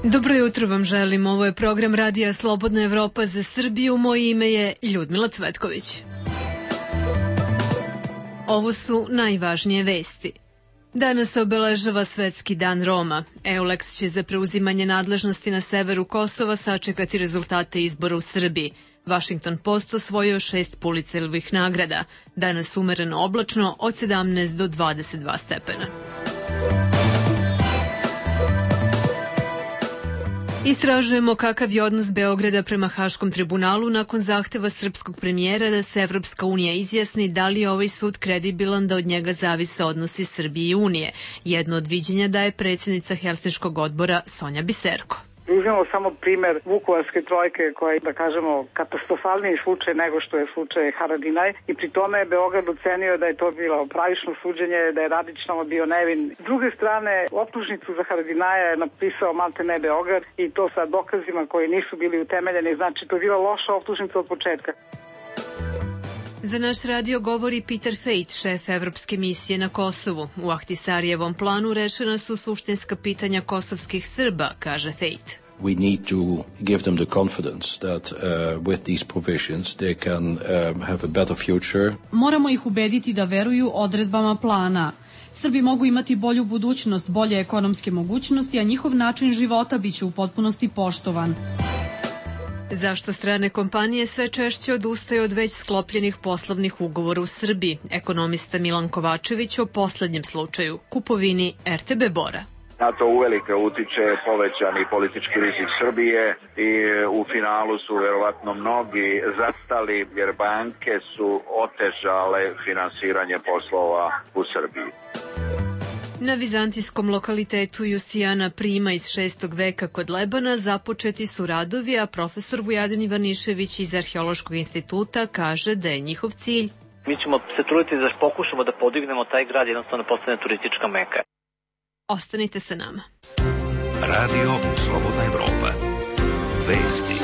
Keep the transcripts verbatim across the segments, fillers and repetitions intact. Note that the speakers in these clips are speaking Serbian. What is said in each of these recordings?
Dobro jutro vam želim. Ovo je program Radija Slobodna Evropa za Srbiju. Moje ime je Ljudmila Cvetković. Ovo su najvažnije vesti. Danas se obeležava Svetski dan Roma. EULEX će za preuzimanje nadležnosti na severu Kosova sačekati rezultate izbora u Srbiji. Washington Post osvojio šest Pulitzerovih nagrada. Danas umereno oblačno od sedamnaest do dvadeset dva stepena. Istražujemo kakav je odnos Beograda prema Haškom tribunalu nakon zahteva srpskog premijera da se Evropska unija izjasni da li je ovaj sud kredibilan da od njega zavise odnosi Srbije i Unije. Jedno od viđenja daje predsjednica Helsinškog odbora Sonja Biserko. Uzmemo samo primer Vukovarske trojke koja je, da kažemo, katastrofalniji slučaj nego što je slučaj Haradinaj i pri tome je Beograd ocenio da je to bilo pravično suđenje, da je Radićnova bio nevin. S druge strane, optužnicu za Haradinaja je napisao maltene Beograd i to sa dokazima koji nisu bili utemeljeni, znači to je bila loša optužnica od početka. Za naš radio govori Peter Fejt, šef Evropske misije na Kosovu. U Ahtisarijevom planu rešena su suštinska pitanja kosovskih Srba, kaže Fejt. We need to give them the confidence that uh, with these provisions they can um, have a better future. Moramo ih ubediti da veruju odredbama plana. Srbi mogu imati bolju budućnost, bolje ekonomske mogućnosti, a njihov način života biće u potpunosti poštovan. Zašto strane kompanije sve češće odustaju od već sklopljenih poslovnih ugovora u Srbiji? Ekonomista Milan Kovačević o poslednjem slučaju, kupovini er te be Bora. Na to uvelike utiče povećani politički rizik Srbije i u finalu su verovatno mnogi zastali jer banke su otežale finansiranje poslova u Srbiji. Na vizantijskom lokalitetu Justijana Prima iz šestog veka kod Lebana započeti su radovi, a profesor Vujadin Ivanišević iz Arheološkog instituta kaže da je njihov cilj. Mi ćemo se truditi da pokušamo da podignemo taj grad, jednostavno postane turistička meka. Ostanite sa nama. Radio Slobodna Evropa. Vesti.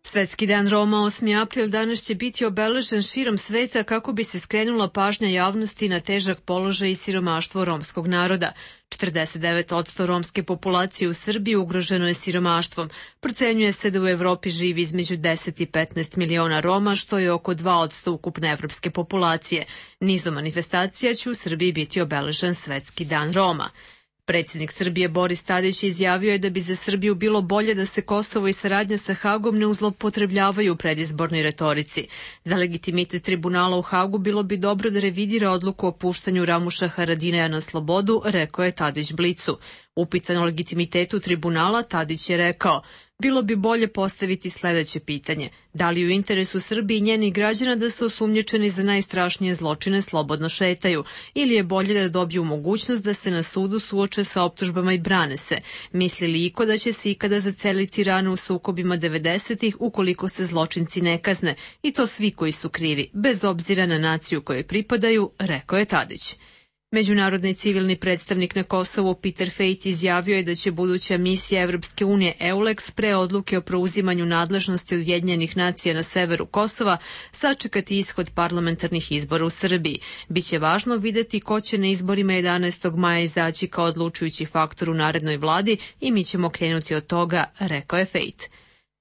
Svetski dan Roma, osmi april, danas će biti obeležen širom sveta kako bi se skrenula pažnja javnosti na težak položaj i siromaštvo romskog naroda. četrdeset devet posto romske populacije u Srbiji ugroženo je siromaštvom. Procenjuje se da u Evropi živi između deset i petnaest miliona Roma, što je oko dva posto ukupne evropske populacije. Nizom manifestacija će u Srbiji biti obeležen Svetski dan Roma. Predsjednik Srbije Boris Tadić izjavio je da bi za Srbiju bilo bolje da se Kosovo i saradnja sa Hagom ne uzlopotrebljavaju u predizbornoj retorici. Za legitimitet tribunala u Hagu bilo bi dobro da revidira odluku o puštanju Ramuša Haradinaja na slobodu, rekao je Tadić Blicu. Upitan o legitimitetu tribunala, Tadić je rekao: bilo bi bolje postaviti sledeće pitanje. Da li u interesu Srbije i njenih građana da se osumnjičeni za najstrašnije zločine slobodno šetaju? Ili je bolje da dobiju mogućnost da se na sudu suoče sa optužbama i brane se? Misli li iko da će se ikada zaceliti rane u sukobima devedesetih ukoliko se zločinci ne kazne? I to svi koji su krivi, bez obzira na naciju kojoj pripadaju, rekao je Tadić. Međunarodni civilni predstavnik na Kosovu Peter Fejt izjavio je da će buduća misija Evropske unije EULEX pre odluke o preuzimanju nadležnosti Ujedinjenih nacija na severu Kosova sačekati ishod parlamentarnih izbora u Srbiji. Biće važno videti ko će na izborima jedanaestog maja izaći kao odlučujući faktor u narednoj vladi i mi ćemo krenuti od toga, rekao je Fejt.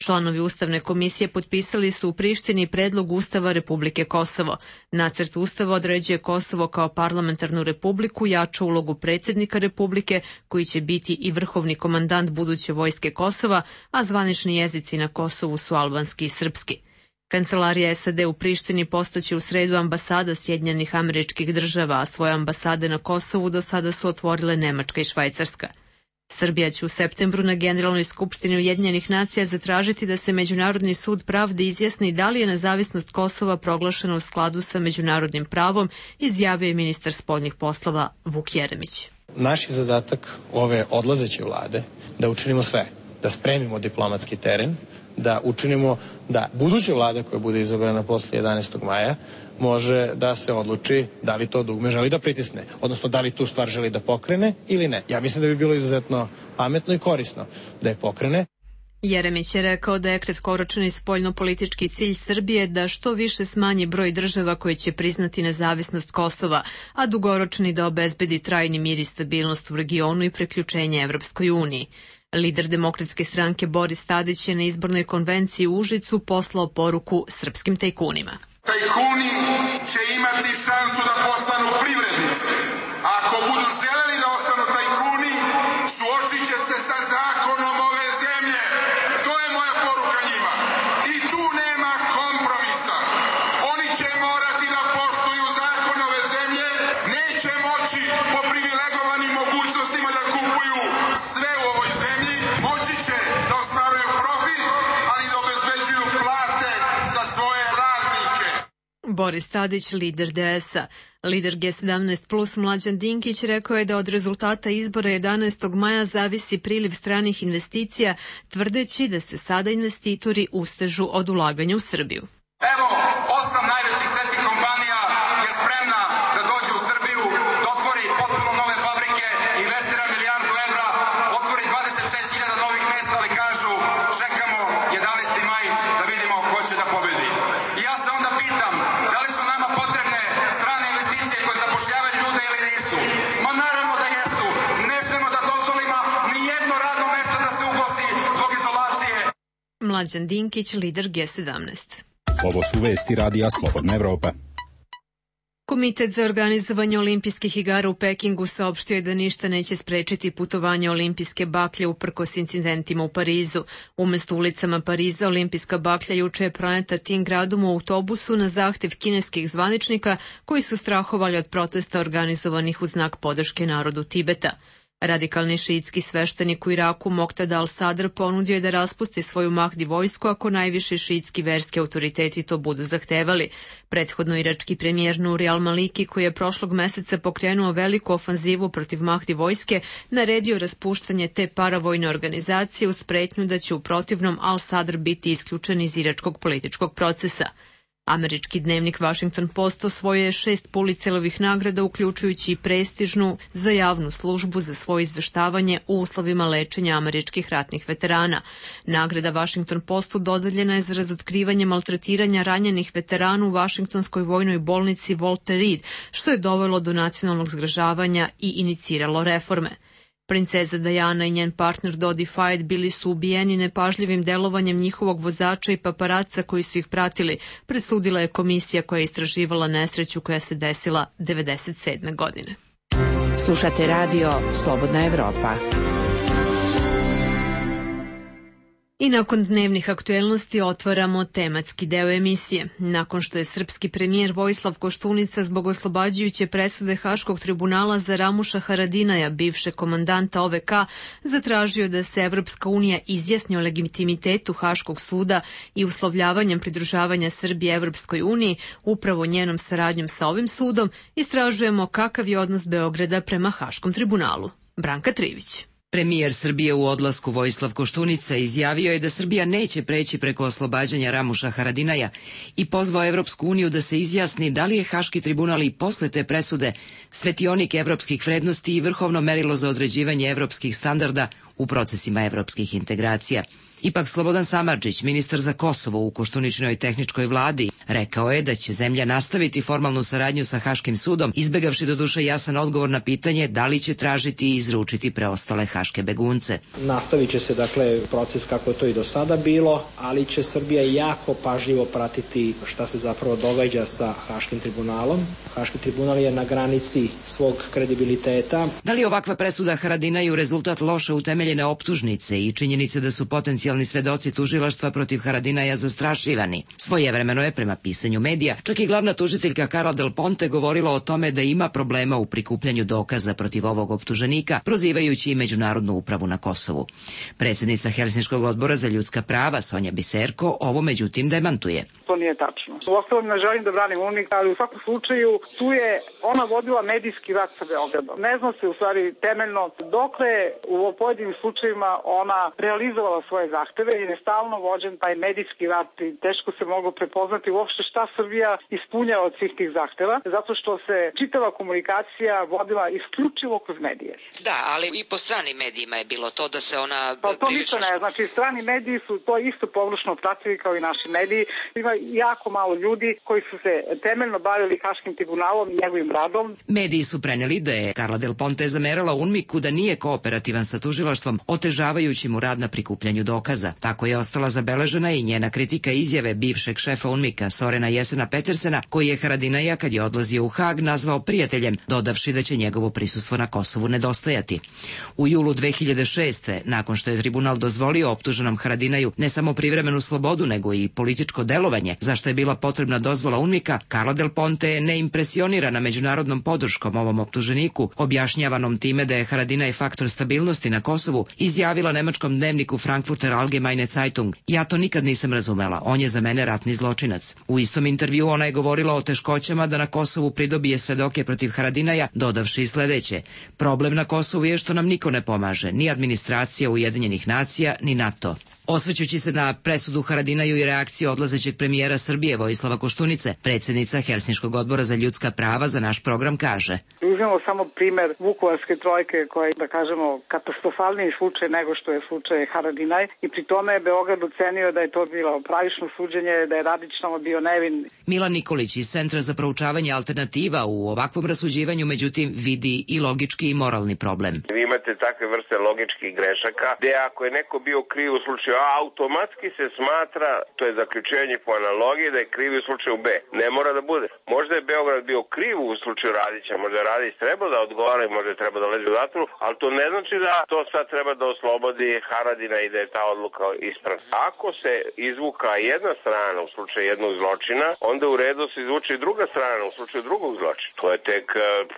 Članovi Ustavne komisije potpisali su u Prištini predlog Ustava Republike Kosovo. Nacrt Ustava određuje Kosovo kao parlamentarnu republiku, jača ulogu predsjednika Republike, koji će biti i vrhovni komandant buduće vojske Kosova, a zvanični jezici na Kosovu su albanski i srpski. Kancelarija es a de u Prištini postaće u sredu ambasada Sjedinjenih Američkih Država, a svoje ambasade na Kosovu do sada su otvorile Nemačka i Švajcarska. Srbija će u septembru na Generalnoj skupštini Ujedinjenih nacija zatražiti da se Međunarodni sud pravde izjasni da li je nezavisnost Kosova proglašena u skladu sa međunarodnim pravom, izjavio je ministar spoljnih poslova Vuk Jeremić. Naš je zadatak ove odlazeće vlade da učinimo sve, da spremimo diplomatski teren, da učinimo da buduća vlada koja bude izabrana posle jedanaestog maja može da se odluči da li to dugme želi da pritisne, odnosno da li tu stvar želi da pokrene ili ne. Ja mislim da bi bilo izuzetno pametno i korisno da je pokrene. Jeremić je rekao da je kratkoročni spoljnopolitički cilj Srbije da što više smanji broj država koje će priznati nezavisnost Kosova, a dugoročni da obezbedi trajni mir i stabilnost u regionu i priključenje Evropskoj uniji. Lider Demokratske stranke Boris Tadić je na izbornoj konvenciji u Užicu poslao poruku srpskim tajkunima. Tajkuni će imati šansu da postanu privrednici. A ako budu želeli da ostanu tajkuni, suočit će se sa zakonom ove zemlje. To je moja poruka njima. I tu nema kompromisa. Oni će morati da poštuju zakon ove zemlje, neće moći po privilegovanim mogućnostima da kupuju sve u ovoj zemlji, moći će da ostvaruju profit, ali da obezbeđuju plate za svoje radnike. Boris Tadić, lider D S-a. Lider G sedamnaest plus Mlađan Dinkić rekao je da od rezultata izbora jedanaestog maja zavisi priliv stranih investicija, tvrdeći da se sada investitori ustežu od ulaganja u Srbiju. Evo, osam najvećih svetskih kompanija je spremna da dođe u Srbiju, da otvori potpuno nove fabrike, investira milijardu evra, otvori dvadeset šest hiljada novih mesta, ali kažu čekamo jedanaesti maj da vidimo ko će da pobedi. I ja se onda pitam, da li su nama potrebne strane investicije koje zapošljavaju ljude ili nisu? Ma naravno da jesu. Ne smemo da dozvolimo ni jedno radno mesto da se ugosi zbog izolacije. Mlađan Dinkić, lider G sedamnaest. Ovo su vesti Radija Slobodna Evropa. Komitet za organizovanje olimpijskih igara u Pekingu saopštio je da ništa neće sprečiti putovanje olimpijske baklje uprkos incidentima u Parizu. Umesto ulicama Pariza, olimpijska baklja juče je proneta tim gradom u autobusu na zahtev kineskih zvaničnika koji su strahovali od protesta organizovanih u znak podrške narodu Tibeta. Radikalni šiitski sveštenik u Iraku Moqtada al-Sadr ponudio je da raspusti svoju Mahdi vojsku ako najviši šiitski verski autoriteti to budu zahtevali. Prethodno irački premijer Nuri al-Maliki, koji je prošlog meseca pokrenuo veliku ofanzivu protiv Mahdi vojske, naredio raspuštanje te paravojne organizacije uz pretnju da će u protivnom al-Sadr biti isključen iz iračkog političkog procesa. Američki dnevnik Washington Post osvojio je šest Pulitzerovih nagrada, uključujući i prestižnu za javnu službu za svoje izveštavanje u uslovima lečenja američkih ratnih veterana. Nagrada Washington Postu dodeljena je za razotkrivanje maltretiranja ranjenih veterana u Vašingtonskoj vojnoj bolnici Walter Reed, što je dovelo do nacionalnog zgražavanja i iniciralo reforme. Princeza Diana i njen partner Dodi Fayed bili su ubijeni nepažljivim delovanjem njihovog vozača i paparaca koji su ih pratili, presudila je komisija koja je istraživala nesreću koja se desila devedeset sedme godine. Slušate radio Slobodna Evropa. I nakon dnevnih aktuelnosti otvaramo tematski deo emisije. Nakon što je srpski premijer Vojislav Koštunica zbog oslobađajuće presude Haškog tribunala za Ramuša Haradinaja, bivšeg komandanta O V K, zatražio da se Evropska unija izjasni o legitimitetu Haškog suda i uslovljavanjem pridružavanja Srbije Evropskoj uniji, upravo njenom saradnjom sa ovim sudom, istražujemo kakav je odnos Beograda prema Haškom tribunalu. Branka Trivić. Premijer Srbije u odlasku Vojislav Koštunica izjavio je da Srbija neće preći preko oslobađanja Ramuša Haradinaja i pozvao Evropsku uniju da se izjasni da li je Haški tribunal i posle te presude svetionik evropskih vrednosti i vrhovno merilo za određivanje evropskih standarda u procesima evropskih integracija. Ipak Slobodan Samardžić, ministar za Kosovo u Koštuničinoj tehničkoj vladi, rekao je da će zemlja nastaviti formalnu saradnju sa Haškim sudom, izbegavši doduše jasan odgovor na pitanje da li će tražiti i izručiti preostale haške begunce. Nastavit će se dakle proces kako je to i do sada bilo, ali će Srbija jako pažljivo pratiti šta se zapravo događa sa Haškim tribunalom. Haški tribunal je na granici svog kredibiliteta. Da li ovakva presuda Haradinaju rezultat loše utemeljene optužnice i činjenice da su potencijalni svedoci tužilaštva protiv Haradinaja zastrašivani? Svojevremeno je, prema pisanju medija, čak i glavna tužiteljka Carla Del Ponte govorila o tome da ima problema u prikupljanju dokaza protiv ovog optuženika, prozivajući i Međunarodnu upravu na Kosovu. Predsjednica Helsinškog odbora za ljudska prava Sonja Biserko ovo međutim demantuje. to nije tačno. U ostalom ne želim da branim UNMIK, ali u svakom slučaju tu je ona vodila medijski rat sa Beogradom. Ne zna se u stvari temeljno dokle u pojedinim slučajevima ona realizovala svoje zahteve i je stalno vođen taj medijski rat i teško se moglo prepoznati uopšte šta Srbija ispunjava od svih tih zahteva, zato što se čitava komunikacija vodila isključivo kroz medije. Da, ali i po stranim medijima je bilo to da se ona... Pa to ništa ne, znači strani mediji su to isto površno pratili kao i naši mediji. Ima jako malo ljudi koji su se temeljno bavili Haškim tribunalom i njegovim radom. Mediji su preneli da je Carla Del Ponte zamerala UNMIK-u da nije kooperativan sa tužilaštvom, otežavajući mu rad na prikupljanju dokaza. Tako je ostala zabeležena i njena kritika izjave bivšeg šefa UNMIK-a Sorena Jesena Petersena, koji je Haradinaja kad je odlazio u Hag nazvao prijateljem, dodavši da će njegovo prisustvo na Kosovu nedostajati. U julu dve hiljade šeste. nakon što je tribunal dozvolio optuženom Haradinaju ne samo privremenu slobodu, nego i političko delovanje, za što je bila potrebna dozvola UNMIK-a, Carla Del Ponte je neimpresionirana međunarodnom podrškom ovom optuženiku, objašnjavanom time da je Haradinaj faktor stabilnosti na Kosovu, izjavila nemačkom dnevniku Frankfurter Allgemeine Zeitung: "Ja to nikad nisam razumela, on je za mene ratni zločinac." U istom intervju ona je govorila o teškoćama da na Kosovu pridobije svedoke protiv Haradinaja, dodavši sledeće: "Problem na Kosovu je što nam niko ne pomaže, ni administracija Ujedinjenih nacija, ni NATO." Osvrćući se na presudu Haradinaju i reakciju odlazećeg premijera Srbije Vojislava Koštunice, predsjednica Helsinškog odbora za ljudska prava za naš program kaže: Uzmemo samo primer Vukovarske trojke, koja je, da kažemo, katastrofalniji slučaj nego što je slučaj Haradinaj, i pri tome je Beograd ocenio da je to bilo pravično suđenje, da je Radić tamo bio nevin. Milan Nikolić iz Centra za proučavanje alternativa u ovakvom rasuđivanju međutim vidi i logički i moralni problem. Vi imate takve vrste logičkih grešaka, gde ako je neko bio kriv u slučaju A, automatski se smatra, to je zaključenje po analogiji, da je kriv u slučaju B. Ne mora da bude. Možda je Beograd bio kriv u slučaju Radića, možda je Radić trebao da odgovara i možda je trebao da leži u zatvoru, ali to ne znači da to sad treba da oslobodi Haradina i da je ta odluka ispravna. Ako se izvuka jedna strana u slučaju jednog zločina, onda u redu se izvuče i druga strana u slučaju drugog zločina. To je tek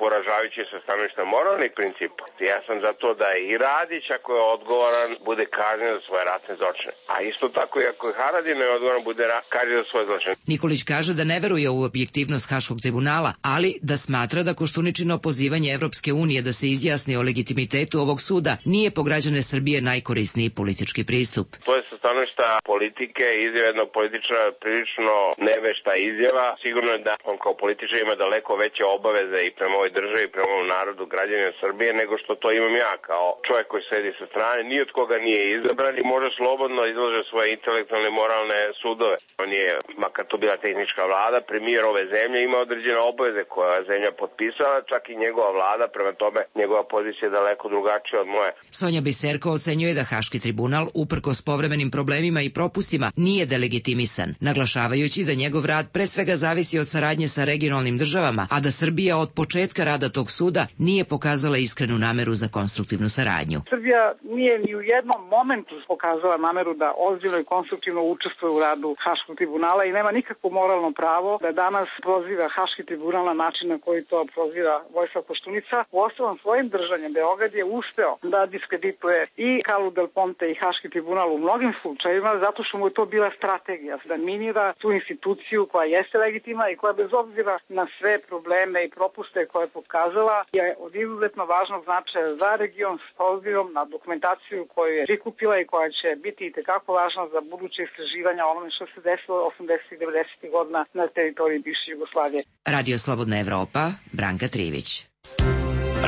poražavajuće sa stanovišta moralnih principa. Ja sam za to da i Radić, ako je odgovoran, bude kažnjen za svoje ratne zločine. A isto tako i ako je Haradina je odgovoran, bude kažnjen za svoje zločine. Nikolić kaže da ne veruje u objektivnost Haškog tribunala, ali da smatra da Koštuničino pozivanje Evropske unije da se izjasni o legitimitetu ovog suda nije po građane Srbije najkorisniji politički pristup. To je sa stanovišta politike, izjava jednog političara prilično nevešta izjava. Sigurno je da on kao političar ima daleko veće obaveze i prema ovoj državi i prema ovom narodu, građanima Srbije, nego što to imam ja kao čovjek koji sedi sa strane, ni od koga nije izabran i može slobodno izlaže svoje intelektualne i moralne sudove. On je, makar to bila tehnička vlada, premijer ove zemlje, ima određene obaveze koje je zemlja potpisala, čak i njegova vlada, prema tome njegova pozicija je daleko drugačija od moje. Sonja Biserko ocenjuje da Haški tribunal, uprkos povremenim problemima i propustima, nije delegitimisan, naglašavajući da njegov rad pre svega zavisi od saradnje sa regionalnim državama, a da Srbija od početka rada tog suda nije pokazala iskrenu nameru za konstruktivnu saradnju. Srbija nije ni u jednom momentu pokazala nameru da ozbiljno i konstruktivno učestvuje u radu Haškog tribunala i nema nikakvo moralno pravo da danas proziva Haški tribunal na način na koji to proziva Vojislav Koštunica. U ostalom svojim držanjem Beograd je uspeo da diskredituje i Carlu Del Ponte i Haški tribunal u mnogim slučajevima, zato što mu je to bila strategija da minira tu instituciju koja jeste legitimna i koja bez obzira na sve probleme i propuste koje je pokazala je od izuzetno važnog značaja za region s obzirom na dokumentaciju koju je prikupila i koja će biti i tekako važna za buduće istraživanja onome što se desilo osamdesetih i devedesetih godina na teritoriji bivše Jugoslavije. Radio Slobodna Evropa, Branka Trivić.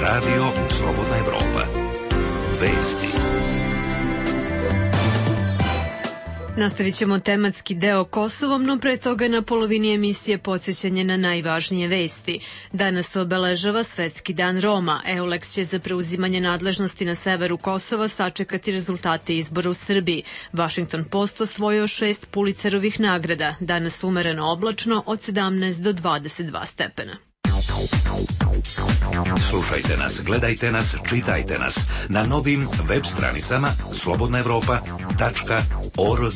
Radio Slobodna Evropa. Vesti. Nastavit ćemo tematski deo Kosovom, no pre toga na polovini emisije podsjećanje na najvažnije vesti. Danas se obeležava Svetski dan Roma. EULEX će za preuzimanje nadležnosti na severu Kosova sačekati rezultate izbora u Srbiji. Washington Post osvojio šest Pulitzerovih nagrada. Danas umereno oblačno od sedamnaest do dvadeset dva stepena. Slušajte nas, gledajte nas, čitajte nas na novim web stranicama slobodna evropa tačka org.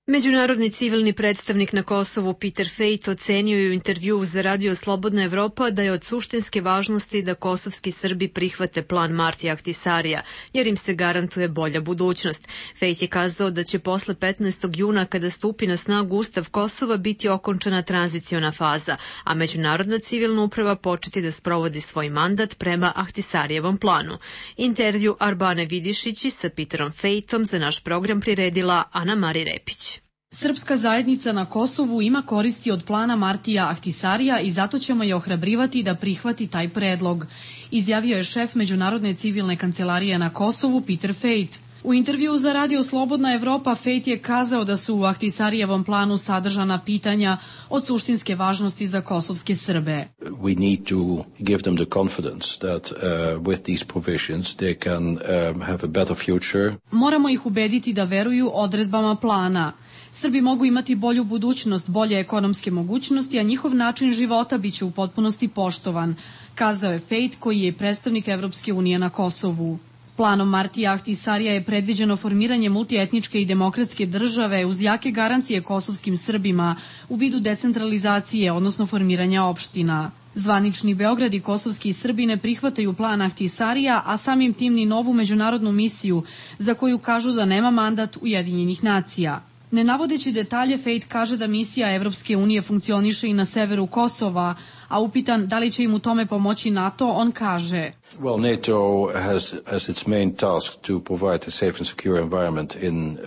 Međunarodni civilni predstavnik na Kosovu Peter Fejt ocenio je u intervjuu za Radio Slobodna Evropa da je od suštinske važnosti da kosovski Srbi prihvate plan Martija Ahtisarija, jer im se garantuje bolja budućnost. Fejt je kazao da će posle petnaestog juna, kada stupi na snagu Ustav Kosova, biti okončana tranziciona faza, a međunarodna civilna uprava početi da sprovodi svoj mandat prema Ahtisarijevom planu. Intervju Arbane Vidišići sa Peterom Fejtom za naš program priredila Ana Mari Repić. Srpska zajednica na Kosovu ima koristi od plana Martija Ahtisarija i zato ćemo je ohrabrivati da prihvati taj predlog, izjavio je šef Međunarodne civilne kancelarije na Kosovu Peter Fejt. U intervjuu za Radio Slobodna Evropa Fejt je kazao da su u Ahtisarijevom planu sadržana pitanja od suštinske važnosti za kosovske Srbe. We need to give them the confidence that uh, with these provisions they can um, have a better future. Moramo ih ubediti da veruju odredbama plana. Srbi mogu imati bolju budućnost, bolje ekonomske mogućnosti, a njihov način života biće u potpunosti poštovan, kazao je Fejt, koji je predstavnik Evropske unije na Kosovu. Planom Martija Ahtisarija je predviđeno formiranje multietničke i demokratske države uz jake garancije kosovskim Srbima u vidu decentralizacije, odnosno formiranja opština. Zvanični Beograd i kosovski Srbi ne prihvataju plan Ahtisarija, a samim tim ni novu međunarodnu misiju, za koju kažu da nema mandat Ujedinjenih nacija. Ne navodeći detalje, Fejt kaže da misija Evropske unije funkcioniše i na severu Kosova, a upitan da li će im u tome pomoći NATO, on kaže: Well, NATO has as its main task to provide a safe and secure environment in uh,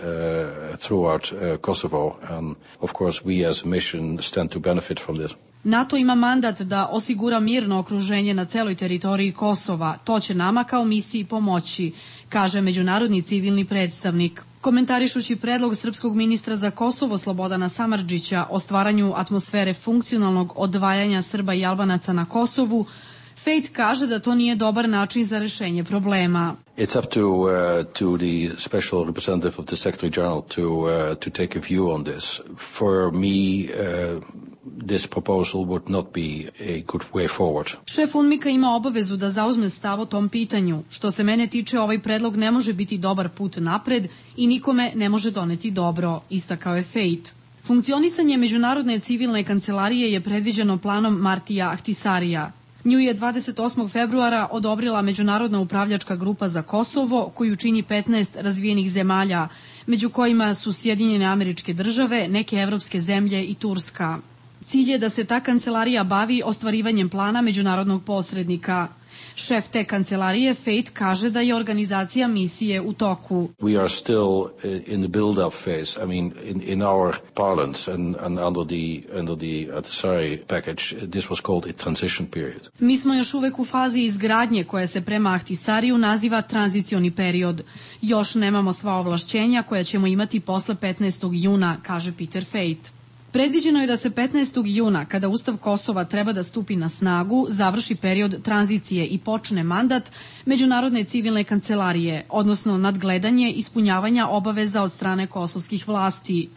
throughout uh, Kosovo, and of course we as a mission stand to benefit from this. NATO ima mandat da osigura mirno okruženje na celoj teritoriji Kosova. To će nama kao misiji pomoći, kaže međunarodni civilni predstavnik. Komentarišući predlog srpskog ministra za Kosovo Slobodana Samardžića o stvaranju atmosfere funkcionalnog odvajanja Srba i Albanaca na Kosovu, Fejt kaže da to nije dobar način za rešenje problema. It's up to uh, to the special representative of the Secretary General to uh, to take a view on this. For me, uh, this proposal would not be a good way forward. Šef UNMIK-a ima obavezu da zauzme stav o tom pitanju. Što se mene tiče, ovaj predlog ne može biti dobar put napred i nikome ne može doneti dobro, istakao je Fejt. Funkcionisanje Međunarodne civilne kancelarije je predviđeno planom Martija Ahtisarija. Nju je dvadeset osmog februara odobrila Međunarodna upravljačka grupa za Kosovo, koju čini petnaest razvijenih zemalja, među kojima su Sjedinjene Američke Države, neke evropske zemlje i Turska. Cilj je da se ta kancelarija bavi ostvarivanjem plana međunarodnog posrednika. Šef te kancelarije, Fejt, kaže da je organizacija misije u toku. We are still in the build-up phase. I mean, in, in our parlance and, and under the, under the Ahtisari package, this was called a transition period. Mi smo još uvek u fazi izgradnje koja se prema Ahtisariju naziva tranzicioni period. Još nemamo sva ovlašćenja koja ćemo imati posle petnaestog juna, kaže Peter Fejt. Predviđeno je da se petnaestog juna, kada Ustav Kosova treba da stupi na snagu, završi period tranzicije i počne mandat Međunarodne civilne kancelarije, odnosno nadgledanje ispunjavanja obaveza od strane kosovskih vlasti.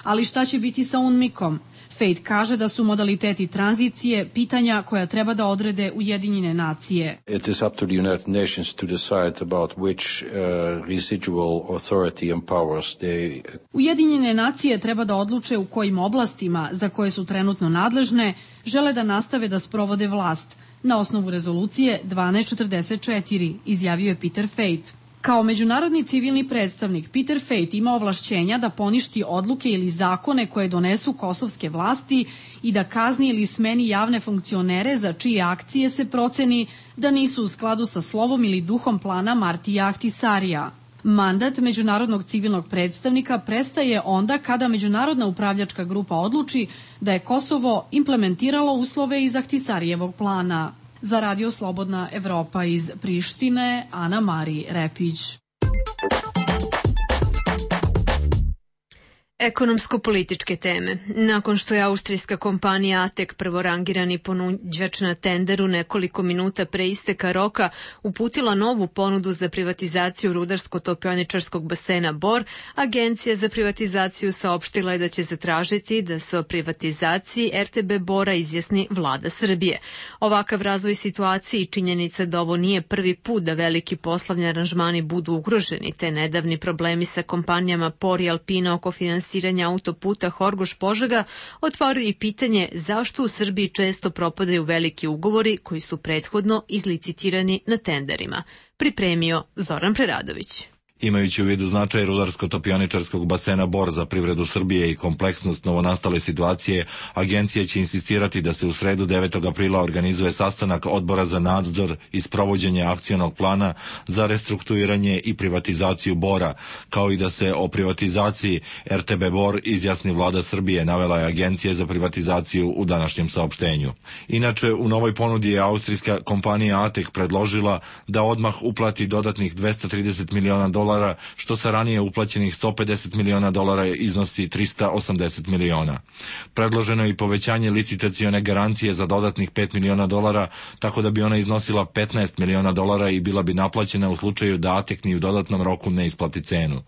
Ali šta će biti sa UNMIK-om? Fejt kaže da su modaliteti tranzicije pitanja koja treba da odrede Ujedinjene nacije. It is up to the United Nations to decide about which uh, residual authority and powers they... Ujedinjene nacije treba da odluče u kojim oblastima, za koje su trenutno nadležne, žele da nastave da sprovode vlast, na osnovu rezolucije dvanaest četrdeset četiri, izjavio je Peter Fejt. Kao međunarodni civilni predstavnik, Peter Fejt ima ovlašćenja da poništi odluke ili zakone koje donesu kosovske vlasti i da kazni ili smeni javne funkcionere za čije akcije se proceni da nisu u skladu sa slovom ili duhom plana Martija Ahtisarija. Mandat međunarodnog civilnog predstavnika prestaje onda kada Međunarodna upravljačka grupa odluči da je Kosovo implementiralo uslove iz Ahtisarijevog plana. Za Radio Slobodna Evropa iz Prištine, Ana Mari Repić. Ekonomsko-političke teme. Nakon što je austrijska kompanija Atek, prvorangirani ponuđač na tenderu, nekoliko minuta pre isteka roka uputila novu ponudu za privatizaciju rudarsko-topioničarskog basena Bor, Agencija za privatizaciju saopštila je da će zatražiti da se o privatizaciji er te be Bora izjasni vlada Srbije. Ovakav razvoj situacije i činjenica da ovo nije prvi put da veliki poslovni aranžmani budu ugroženi, te nedavni problemi sa kompanijama Por i Alpina oko finansiranja finansiranja autoputa Horgoš-Požega otvorio i pitanje zašto u Srbiji često propadaju veliki ugovori koji su prethodno izlicitirani na tenderima. Pripremio Zoran Preradović. Imajući u vidu značaj rudarsko-topioničarskog basena Bor za privredu Srbije i kompleksnost novonastale situacije, agencija će insistirati da se u sredu devetog aprila organizuje sastanak Odbora za nadzor i sprovođenje akcionog plana za restrukturiranje i privatizaciju Bora, kao i da se o privatizaciji R T B Bor izjasni vlada Srbije, navela je agencija za privatizaciju u današnjem saopštenju. Inače, u novoj ponudi je austrijska kompanija Atek predložila da odmah uplati dodatnih dvesta trideset miliona dolara, što sa ranije uplaćenih sto pedeset miliona dolara iznosi trista osamdeset miliona. Predloženo je i povećanje licitacione garancije za dodatnih pet miliona dolara, tako da bi ona iznosila petnaest miliona dolara i bila bi naplaćena u slučaju da Atek ni u dodatnom roku ne isplati cenu.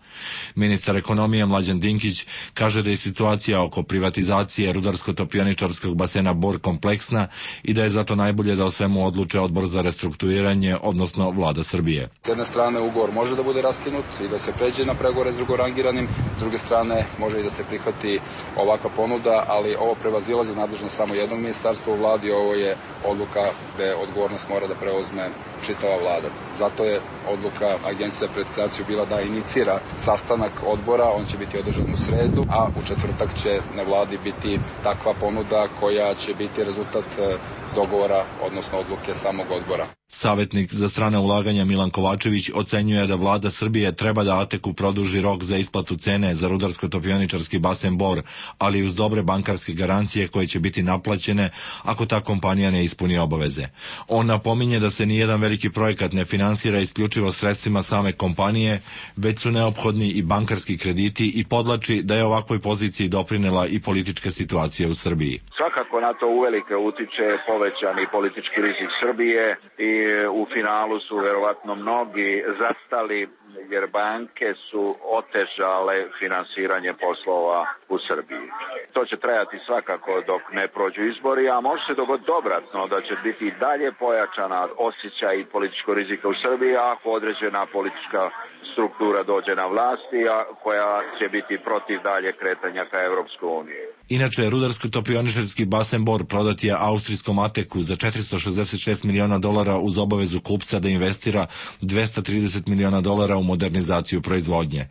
Ministar ekonomije Mlađan Dinkić kaže da je situacija oko privatizacije rudarsko-topioničarskog basena Bor kompleksna i da je zato najbolje da o svemu odluče Odbor za restrukturiranje, odnosno vlada Srbije. S jedne strane ugovor može da bude raskinut i da se pređe na pregovore s drugorangiranim, s druge strane može i da se prihvati ovakva ponuda, ali ovo prevazilazi nadležnost samo jednog ministarstva u vladi, ovo je odluka gde odgovornost mora da preuzme čitava vlada. Zato je odluka Agencije za privatizaciju bila da inicira sastanak odbora, on će biti održan u sredu, a u četvrtak će na vladi biti takva ponuda koja će biti rezultat dogovora, odnosno odluke samog odbora. Savetnik za strana ulaganja Milan Kovačević ocenjuje da vlada Srbije treba da Ateku produži rok za isplatu cene za rudarsko-topioničarski basen Bor, ali uz dobre bankarske garancije koje će biti naplaćene ako ta kompanija ne ispuni obaveze. On napominje da se nijedan veliki projekat ne finansira isključivo sredstvima same kompanije, već su neophodni i bankarski krediti i podlači da je ovakvoj poziciji doprinela i politička situacija u Srbiji. Svakako na to uvelike utiče povećani politički rizik Srbije i u finalu su verovatno mnogi zastali jer banke su otežale finansiranje poslova u Srbiji. To će trajati svakako dok ne prođu izbori, a može se dogoditi obratno da će biti i dalje pojačana osjećaj političkog rizika u Srbiji ako određena politička struktura dođe na vlasti, a koja će biti protiv dalje kretanja ka Evropskoj uniji. Inače, rudarsko-topioničarski basen Bor prodat je austrijskom Ateku za četiristo šezdeset šest miliona dolara uz obavezu kupca da investira dvesta trideset miliona dolara u modernizaciju proizvodnje.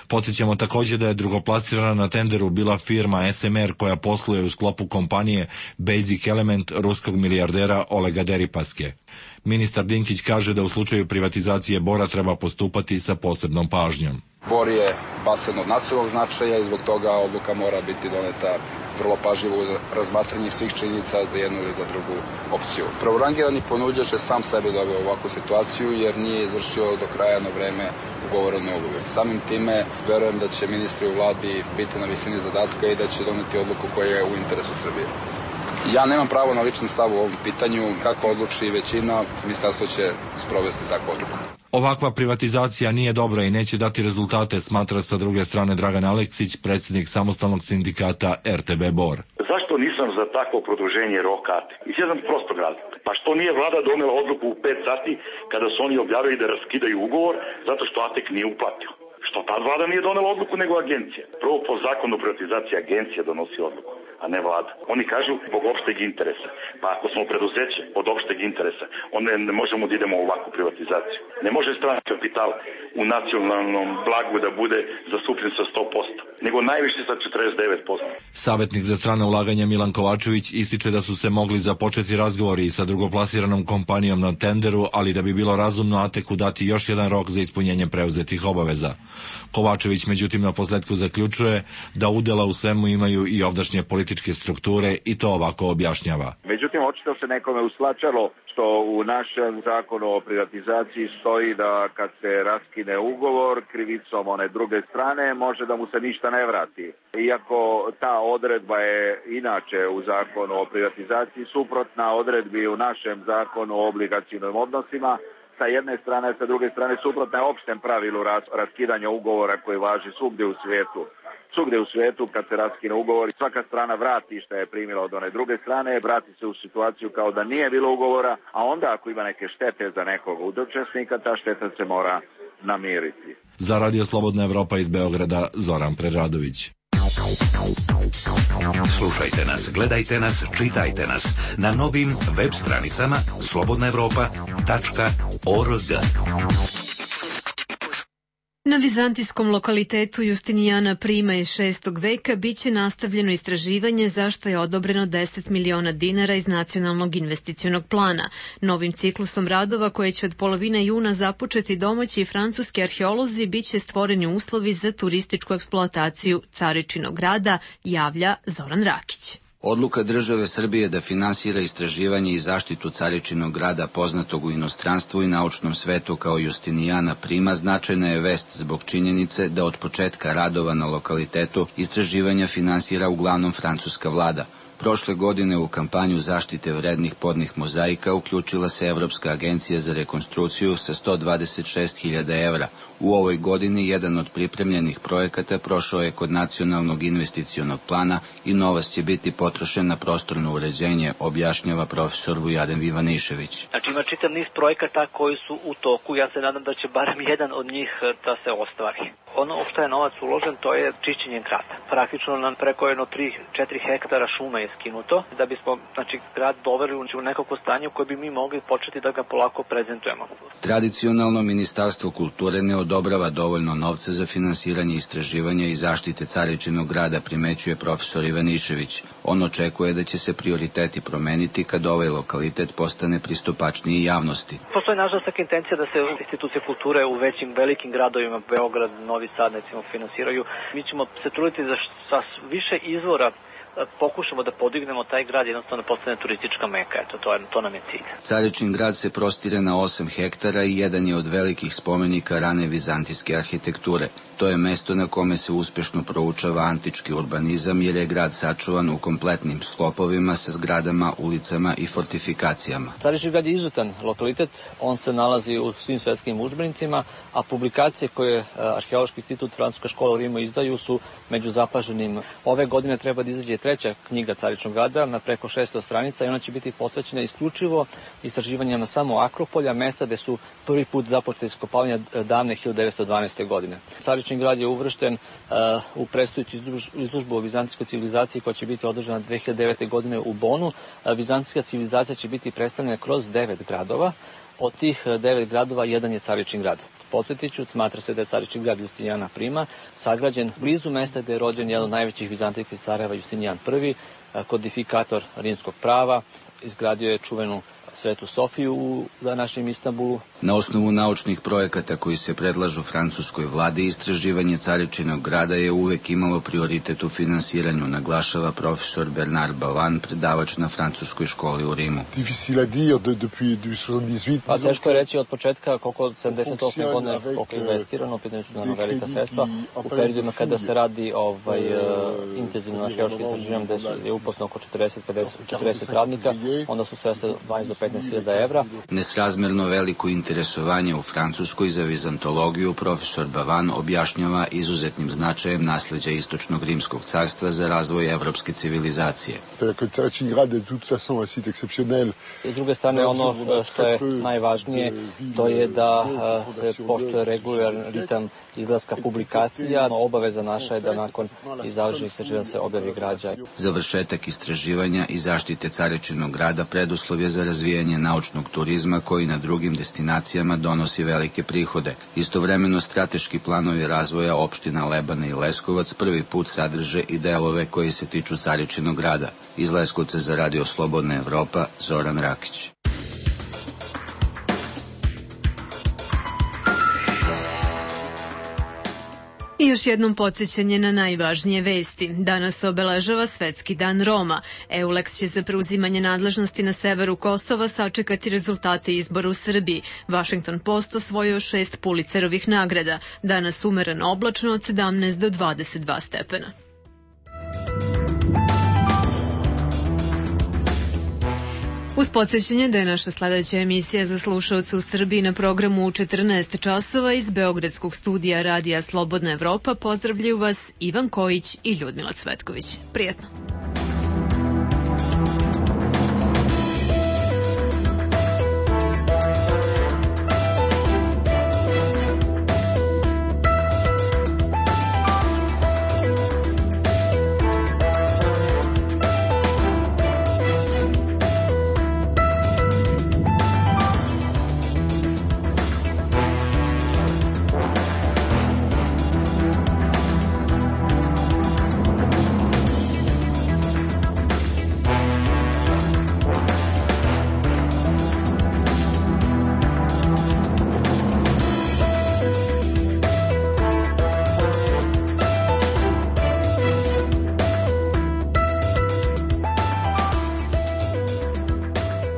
Podsjećamo također da je drugoplasirana na tenderu bila firma S M R koja posluje u sklopu kompanije Basic Element ruskog milijardera Olega Deripaske. Ministar Dinkić kaže da u slučaju privatizacije Bora treba postupati sa posebnom pažnjom. Bor je basen od nacionalnog značaja i zbog toga odluka mora biti doneta vrlo pažljivo u razmatranju svih činjenica za jednu ili za drugu opciju. Prvorangirani ponuđač je sam sebe doveo u ovakvu situaciju jer nije izvršio do kraja na vreme ugovorene ugovor. Samim time verujem da će ministri u vladi biti na visini zadatka i da će doneti odluku koja je u interesu Srbije. Ja nemam pravo na lični stav u ovom pitanju. Kako odluči većina, ministarstvo će sprovesti takvu odluku. Ovakva privatizacija nije dobra i neće dati rezultate, smatra sa druge strane Dragan Aleksić, predsjednik samostalnog sindikata R T B Bor. Zašto nisam za takvo produženje roka? Iz jedan prostog razloga. Pa što nije vlada donela odluku u pet sati kada su oni objavili da raskidaju ugovor zato što Atek nije uplatio? Što tad vlada nije donela odluku nego agencija? Prvo po zakonu o privatizaciji agencija donosi odluku, a ne vlada. Oni kažu zbog opšteg interesa. Pa ako smo preduzeće od opšteg interesa, onda ne možemo da idemo u ovakvu privatizaciju. Ne može strani kapital u nacionalnom blagu da bude zastupljen sa sto posto, nego najviše sa četrdeset devet posto. Savetnik za strana ulaganja Milan Kovačević ističe da su se mogli započeti razgovori sa drugoplasiranom kompanijom na tenderu, ali da bi bilo razumno Ateku dati još jedan rok za ispunjenje preuzetih obaveza. Kovačević međutim na posledku zaključuje da udela u svemu imaju i ovdašnje političke strukture i to ovako objašnjava. Međutim, očito se nekome uslačalo što u našem zakonu o privatizaciji stoji da kad se raskine ugovor krivicom one druge strane može da mu se ništa ne vrati. Iako ta odredba je inače u zakonu o privatizaciji suprotna odredbi u našem zakonu o obligacijnim odnosima, sa jedne strane, sa druge strane suprotna je opštem pravilu raskidanja ugovora koji važi svugdje u svijetu. Svugdje u svijetu kad se raskine ugovor, svaka strana vrati što je primila od one druge strane, vrati se u situaciju kao da nije bilo ugovora, a onda ako ima neke štete za nekog od učesnika, ta šteta se mora namiriti. Za Radio Slobodna Evropa iz Beograda, Zoran Preradović. Slušajte nas, gledajte nas, čitajte nas na novim web stranicama slobodna evropa tačka org. Na vizantijskom lokalitetu Justinijana Prima iz šestog veka biće nastavljeno istraživanje za što je odobreno deset miliona dinara iz nacionalnog investicionog plana. Novim ciklusom radova koje će od polovine juna započeti domaći i francuski arheolozi biće stvoreni uslovi za turističku eksploataciju Caričinog grada, javlja Zoran Rakić. Odluka države Srbije da finansira istraživanje i zaštitu Caričinog grada poznatog u inostranstvu i naučnom svetu kao Justinijana Prima značajna je vest zbog činjenice da od početka radova na lokalitetu istraživanja finansira uglavnom francuska vlada. Prošle godine u kampanju zaštite vrednih podnih mozaika uključila se Evropska agencija za rekonstrukciju sa sto dvadeset šest hiljada evra. U ovoj godini jedan od pripremljenih projekata prošao je kod nacionalnog investicionog plana i novac će biti potrošen na prostorno uređenje, objašnjava profesor Vujaden Vivanišević. Znači ima čitav niz projekata koji su u toku, ja se nadam da će barem jedan od njih da se ostvari. Ono u što je novac uložen, to je čišćenje grada. Praktično nam preko jedno tri do četiri hektara šume je skinuto, da bismo znači, grad doveli u nekako stanje u koje bi mi mogli početi da ga polako prezentujemo. Tradicionalno Ministarstvo kulture ne odobrava dovoljno novca za finansiranje istraživanja i zaštite Caričinog grada, primećuje profesor Ivanišević. On očekuje da će se prioriteti promeniti kad ovaj lokalitet postane pristupačniji javnosti. Postoji nažalost taka intencija da se institucije kulture u većim, velikim gradovima, Beograd, Novi Sad, recimo, finansiraju. Mi ćemo se truditi da sa više izvora pokušamo da podignemo taj grad, jednostavno postane turistička meka, eto, to, je, to nam je cilj. Caričin grad se prostire na osam hektara i jedan je od velikih spomenika rane vizantijske arhitekture. To je mesto na kome se uspešno proučava antički urbanizam jer je grad sačuvan u kompletnim sklopovima sa zgradama, ulicama i fortifikacijama. Caričin grad je izuzetan lokalitet, on se nalazi u svim svetskim udžbenicima, a publikacije koje Arheološki institut Francuska škola u Rimu izdaju su među zapaženim. Ove godine treba da izađe treća knjiga Caričnog grada na preko šesto stranica i ona će biti posvećena isključivo istraživanjima samo Akropolja, mesta gde su prvi put započete iskopavanja davne hiljadu devetsto dvanaeste. godine. Carični grad je uvršten uh, u predstojeću izložbu o vizantijskoj civilizaciji koja će biti održana dve hiljade devete. godine u Bonu. Uh, vizantijska civilizacija će biti predstavljena kroz devet gradova. Od tih devet gradova jedan je Caričin grad. Podsjetiću, smatra se da je Caričin grad Justinijana Prima sagrađen blizu mesta gde je rođen jedan od najvećih vizantijskih careva Justinijan Prvi, kodifikator rimskog prava, izgradio je čuvenu Svetu Sofiju u današnjem Istanbulu. Na osnovu naučnih projekata koji se predlažu francuskoj vladi, istraživanje Caričinog grada je uvek imalo prioritet u finansiranju, naglašava profesor Bernard Bavan, predavač na francuskoj školi u Rimu. Pa teško je reći od početka koliko od sedamdeset osme. godine koliko je investirano, pitanje su naravno velika sredstva. U periodima kada se radi ovaj, uh, intenzivno arheološki istraživanje gde je uposleno oko četrdeset do pedeset radnika, onda su sredstva dvanaest do petnaest hiljada evra. Nesrazmerno veliko interesovanje u Francuskoj za vizantologiju profesor Bavan objašnjava izuzetnim značajem nasleđa Istočnog rimskog carstva za razvoj evropske civilizacije. S druge strane, ono što je najvažnije, to je da se poštuje regularan ritam izlaska publikacija. Obaveza naša je da nakon završenih istraživanja se objavi građa. Završetak istraživanja i zaštite Caričinog grada preduslov je za razvijanje naučnog turizma koji na drugim destinacijama donosi velike prihode. Istovremeno strateški planovi razvoja opština Lebane i Leskovac prvi put sadrže i delove koji se tiču Caričinog grada. Iz Leskovca za Radio Slobodna Evropa, Zoran Rakić. I još jednom podsjećanje na najvažnije vesti. Danas se obeležava Svetski dan Roma. EULEX će za preuzimanje nadležnosti na severu Kosova sačekati rezultate izbora u Srbiji. Washington Post osvojio šest Pulitzerovih nagrada. Danas umereno oblačno od sedamnaest do dvadeset dva stepena. Uz podsjećanje da je naša sledeća emisija za slušaoce u Srbiji na programu u četrnaest časova iz Beogradskog studija Radija Slobodna Evropa pozdravljaju vas Ivan Kojić i Ljudmila Cvetković. Prijetno!